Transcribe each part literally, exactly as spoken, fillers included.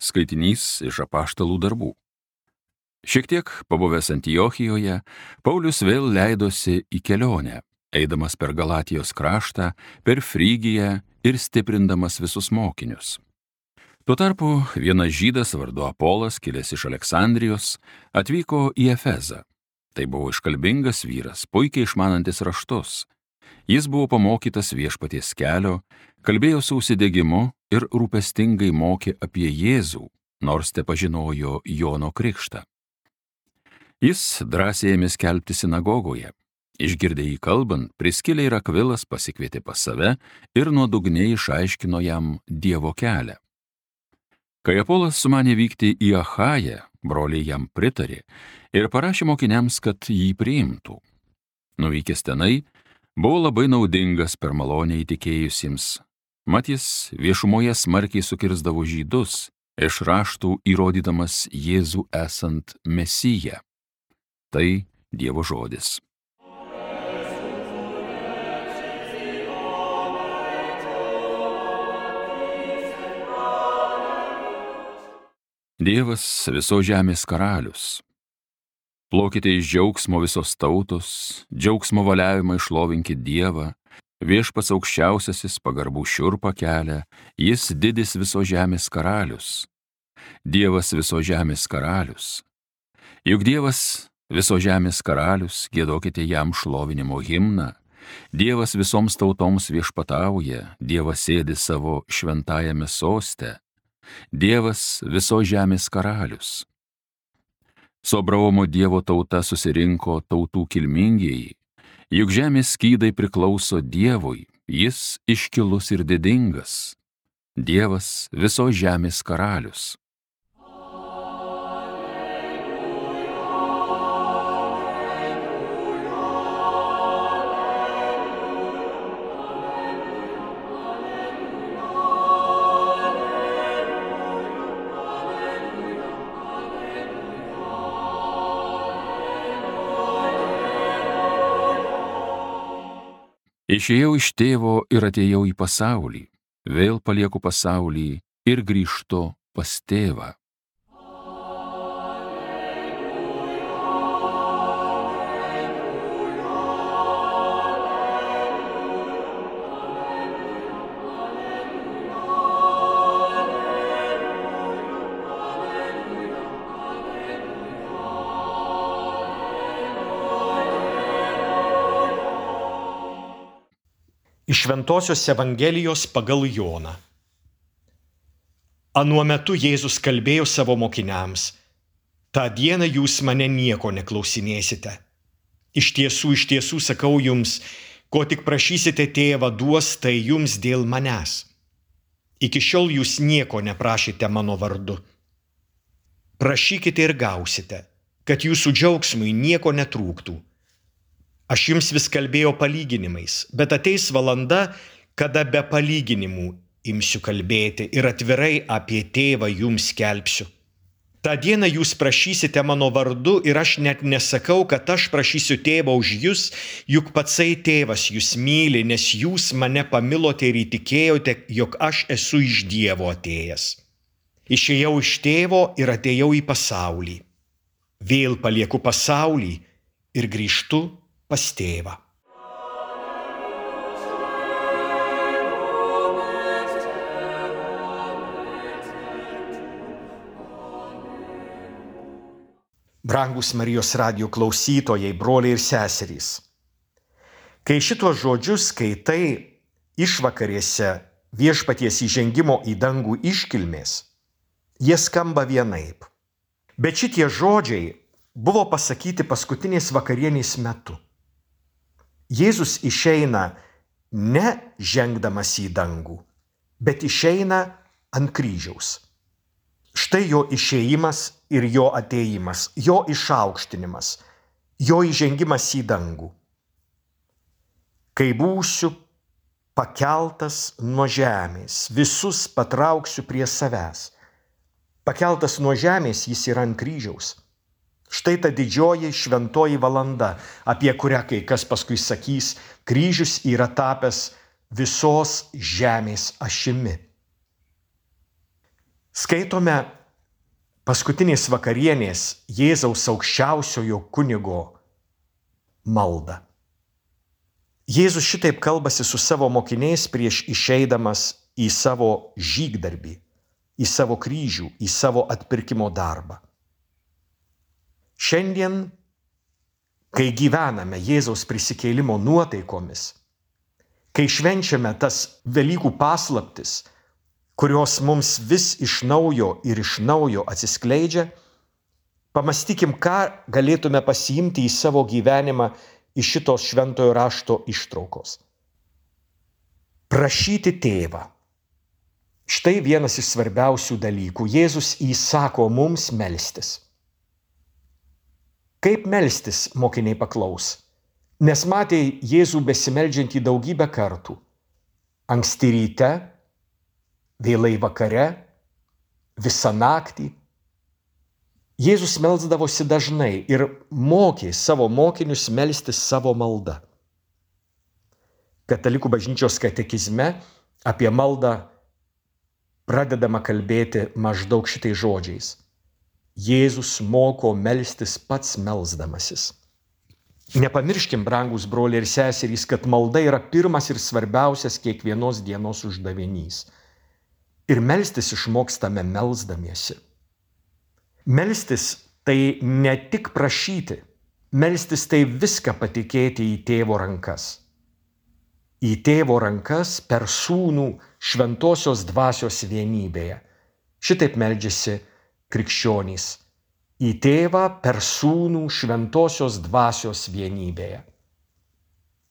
Skaitinys iš Apaštalų darbų. Šiek tiek pabuvęs Antiochijoje, Paulius vėl leidosi į kelionę, eidamas per Galatijos kraštą, per Frygiją ir stiprindamas visus mokinius. Tuo tarpu vienas žydas vardu Apolas, kilęs iš Aleksandrijos, atvyko į Efezą. Tai buvo iškalbingas vyras, puikiai išmanantis raštus. Jis buvo pamokytas viešpaties kelio, kalbėjo su užsidegimu ir rūpestingai mokė apie Jėzų, nors tepažinojo Jono krikštą. Jis drąsiai ėmė skelbti sinagogoje. Išgirdę jį kalbant, Priskilė ir Akvilas pasikvietė pas save ir nuodugniai išaiškino jam Dievo kelią. Kai Apolas sumanė vykti į Achają, broliai jam pritarė ir parašė mokiniams, kad jį priimtų. Nuvykęs tenai, buvo labai naudingas per malonę įtikėjusiems. Mat jis viešumoje smarkiai sukirsdavo žydus, iš raštų įrodydamas Jėzų esant Mesiją. Tai Dievo žodis. Dievas visos žemės karalius. Plaukite iš džiaugsmo visos tautos, džiaugsmo valiavimą išlovinkit Dievą, viešpats aukščiausiasis pagarbų šiurpą kelia, jis didis visos žemės karalius. Dievas visos žemės karalius. Juk Dievas visos žemės karalius, giedokite jam šlovinimo himną. Dievas visoms tautoms viešpatauja, Dievas sėdi savo šventajame soste. Dievas visos žemės karalius. Su Abraomo Dievo tauta susirinko tautų kilmingieji, juk žemės skydai priklauso Dievui, jis iškilus ir didingas. Dievas visos žemės karalius. Išėjau iš tėvo ir atėjau į pasaulį, vėl palieku pasaulį ir grįžtu pas tėvą. Iš Šventosios Evangelijos pagal Joną. Anuo metu Jėzus kalbėjo savo mokiniams: tą dieną jūs mane nieko neklausinėsite. Iš tiesų, iš tiesų sakau jums, ko tik prašysite tėvą duos, tai jums dėl manęs. Iki šiol jūs nieko neprašėte mano vardu. Prašykite ir gausite, kad jūsų džiaugsmui nieko netrūktų. Aš jums vis kalbėjau palyginimais, bet ateis valanda, kada be palyginimų imsiu kalbėti ir atvirai apie tėvą jums skelbsiu. Ta diena jūs prašysite mano vardu ir aš net nesakau, kad aš prašysiu tėvą už jūs, juk patsai tėvas jūs myli, nes jūs mane pamilote ir įtikėjote, jog aš esu iš Dievo atėjęs. Išėjau iš tėvo ir atėjau į pasaulį. Vėl palieku pasaulį ir grįžtu pas tėvą. Brangus Marijos radijo klausytojai, broliai ir seserys. Kai šitos žodžius skaitai išvakarėse viešpaties įžengimo į dangų iškilmės, jie skamba vienaip. Bet šitie žodžiai buvo pasakyti paskutinės vakarienės metu. Jėzus išeina ne žengdamas į dangų, bet išeina ant kryžiaus. Štai jo išėjimas ir jo atėjimas, jo išaukštinimas, jo įžengimas į dangų. Kai būsiu pakeltas nuo žemės, visus patrauksiu prie savęs. Pakeltas nuo žemės jis yra ant kryžiaus. Štai ta didžioji šventoji valanda, apie kurią kai kas paskui sakys, kryžius yra tapęs visos žemės ašimi. Skaitome paskutinės vakarienės Jėzaus aukščiausiojo kunigo maldą. Jėzus šitaip kalbasi su savo mokiniais prieš išeidamas į savo žygdarbį, į savo kryžių, į savo atpirkimo darbą. Šiandien, kai gyvename Jėzaus prisikėlimo nuotaikomis, kai švenčiame tas Velykų paslaptis, kurios mums vis iš naujo ir iš naujo atsiskleidžia, pamąstykim, ką galėtume pasiimti į savo gyvenimą iš šitos šventojo rašto ištraukos. Prašyti tėvą. Štai vienas iš svarbiausių dalykų. Jėzus įsako mums melstis. Kaip melstis, mokiniai paklaus, nes matė Jėzų besimeldžiantį daugybę kartų. Anksti ryte, vėlai vakare, visą naktį. Jėzus melsdavosi dažnai ir mokė savo mokinius melstis savo maldą. Katalikų bažnyčios katekizme apie maldą pradedama kalbėti maždaug šitais žodžiais. Jėzus moko melstis pats melsdamasis. Nepamirškim, brangūs broliai ir seserys, kad malda yra pirmas ir svarbiausias kiekvienos dienos uždavinys. Ir melstis išmokstame melsdamiesi. Melstis tai ne tik prašyti, melstis tai viską patikėti į tėvo rankas. Į tėvo rankas per sūnų šventosios dvasios vienybėje. Šitaip meldžiasi krikščionys. Į tėvą per sūnų šventosios dvasios vienybėje.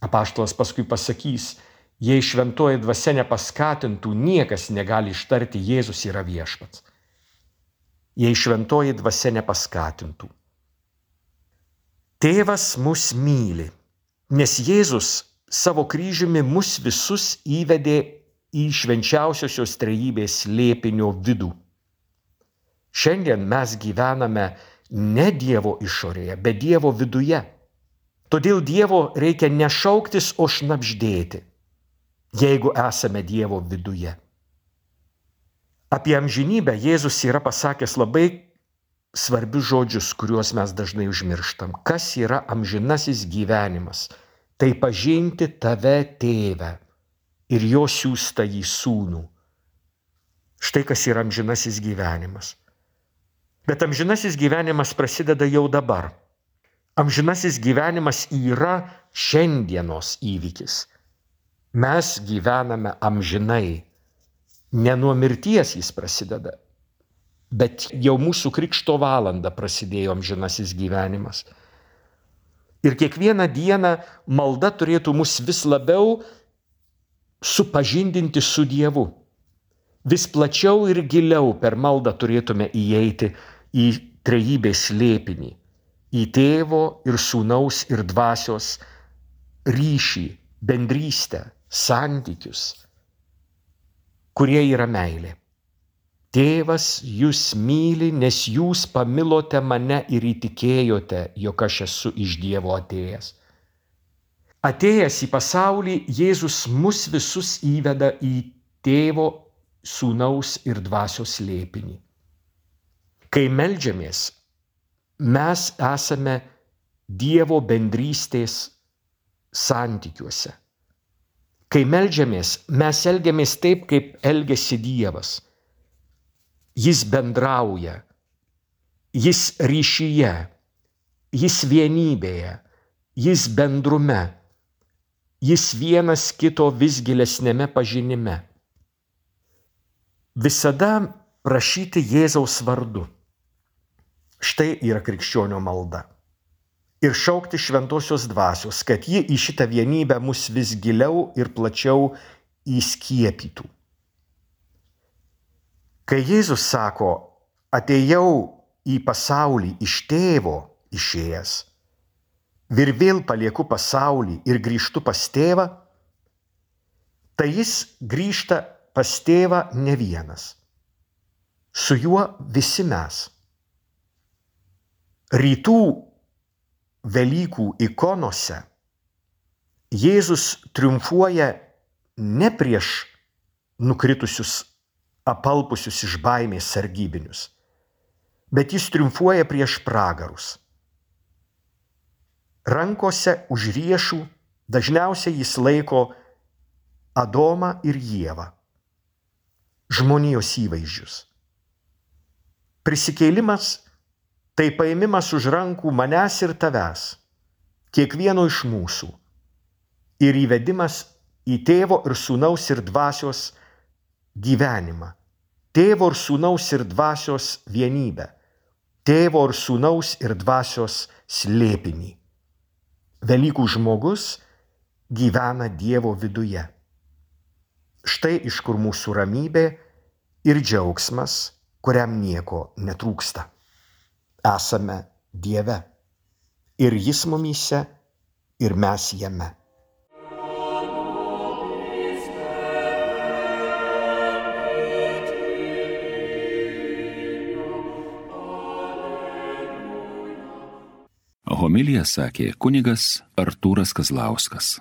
Apaštalas paskui pasakys, jei šventoji dvasia nepaskatintų, niekas negali ištarti Jėzus yra viešpats. Jei šventoji dvasia nepaskatintų. Tėvas mus myli, nes Jėzus savo kryžiumi mus visus įvedė į švenčiausiosios trejybės slėpinio vidų. Šiandien mes gyvename ne Dievo išorėje, bet Dievo viduje. Todėl Dievo reikia ne šauktis, o šnabždėti, jeigu esame Dievo viduje. Apie amžinybę Jėzus yra pasakęs labai svarbius žodžius, kuriuos mes dažnai užmirštam. Kas yra amžinasis gyvenimas? Tai pažinti tave, tėvę, ir jo siųstąjį sūnų. Štai kas yra amžinasis gyvenimas. Bet amžinasis gyvenimas prasideda jau dabar. Amžinasis gyvenimas yra šiandienos įvykis. Mes gyvename amžinai. Ne nuo mirties jis prasideda, bet jau mūsų krikšto valanda prasidėjo amžinasis gyvenimas. Ir kiekvieną dieną malda turėtų mus vis labiau supažindinti su Dievu. Vis plačiau ir giliau per maldą turėtume įeiti į trejybės slėpinį, į tėvo ir sūnaus ir dvasios ryšį, bendrystę, santykius, kurie yra meilė. Tėvas jūs myli, nes jūs pamilote mane ir įtikėjote, jog aš esu iš Dievo atėjęs. Atėjęs į pasaulį, Jėzus mus visus įveda į tėvo, sūnaus ir dvasios slėpinį. Kai meldžiamės, mes esame Dievo bendrystės santykiuose. Kai meldžiamės, mes elgiamės taip, kaip elgiasi Dievas. Jis bendrauja, jis ryšyje, jis vienybėje, jis bendrume, jis vienas kito vis gilesnėme pažinime. Visada prašyti Jėzaus vardu. Štai yra krikščionio malda. Ir šaukti šventosios dvasios, kad ji į šitą vienybę mus vis giliau ir plačiau įskiepytų. Kai Jėzus sako, atėjau į pasaulį iš tėvo išėjęs, ir vėl palieku pasaulį ir grįžtu pas tėvą, tai jis grįžta pas tėvą ne vienas. Su juo visi mes. Rytų Velykų ikonose Jėzus triumfuoja ne prieš nukritusius apalpusius iš baimės sargybinius, bet jis triumfuoja prieš pragarus. Rankose už riešų dažniausiai jis laiko Adomą ir Ievą, žmonijos įvaizdžius. Prisikėlimas tai paėmimas už rankų manęs ir tavęs, kiekvieno iš mūsų, ir įvedimas į Tėvo ir Sūnaus ir Dvasios gyvenimą, Tėvo ir Sūnaus ir Dvasios vienybę, Tėvo ir Sūnaus ir Dvasios slėpinį. Velykų žmogus gyvena Dievo viduje. Štai iš kur mūsų ramybė ir džiaugsmas, kuriam nieko netrūksta. Esame Dieve, ir jis mumyse, ir mes jame. Homiliją sakė kunigas Artūras Kazlauskas.